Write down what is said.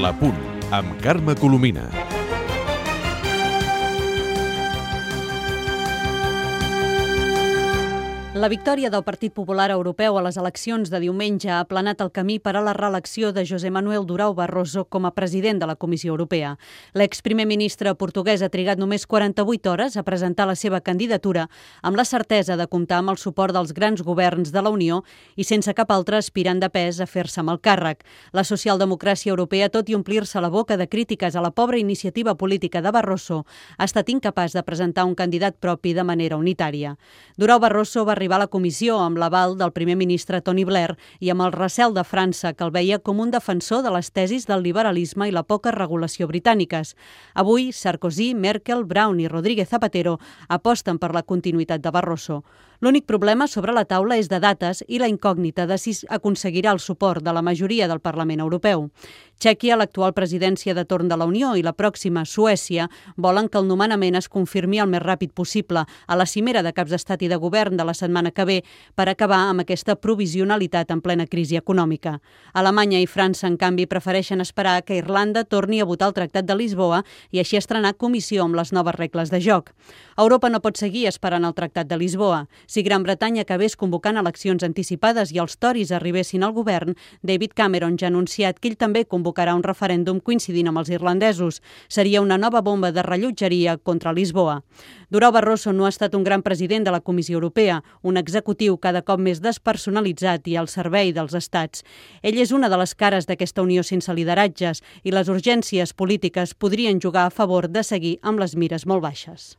La Punt, amb Carme Colomina. La victòria del Partit Popular Europeu a les eleccions de diumenge ha aplanat el camí per a la reelecció de José Manuel Durão Barroso com a president de la Comissió Europea. L'exprimer ministre portuguès ha trigat només 48 hores a presentar la seva candidatura amb la certesa de comptar amb el suport dels grans governs de la Unió i sense cap altre aspirant de pes a fer-se amb el càrrec. La socialdemocràcia europea, tot i omplir-se la boca de crítiques a la pobra iniciativa política de Barroso, ha estat incapaç de presentar un candidat propi de manera unitària. Durão Barroso va arribar a la comissió amb l'aval del primer ministre Tony Blair i amb el recel de França, que el veia com un defensor de les tesis del liberalisme i la poca regulació britàniques. Avui, Sarkozy, Merkel, Brown i Rodríguez Zapatero aposten per la continuïtat de Barroso. L'únic problema sobre la taula és de dates i la incògnita de si aconseguirà el suport de la majoria del Parlament Europeu. Txèquia, l'actual presidència de torn de la Unió, i la pròxima, Suècia, volen que el nomenament es confirmi el més ràpid possible a la cimera de caps d'estat i de govern de la setmana que ve per acabar amb aquesta provisionalitat en plena crisi econòmica. Alemanya i França, en canvi, prefereixen esperar que Irlanda torni a votar el Tractat de Lisboa i així estrenar comissió amb les noves regles de joc. Europa no pot seguir esperant el Tractat de Lisboa. Si Gran Bretanya acabés convocant eleccions anticipades i els Tories arribessin al govern, David Cameron ja ha anunciat que ell també convocarà un referèndum coincidint amb els irlandesos. Seria una nova bomba de rellotgeria contra Lisboa. Durão Barroso no ha estat un gran president de la Comissió Europea, un executiu cada cop més despersonalitzat i al servei dels estats. Ell és una de les cares d'aquesta unió sense lideratges i les urgències polítiques podrien jugar a favor de seguir amb les mires molt baixes.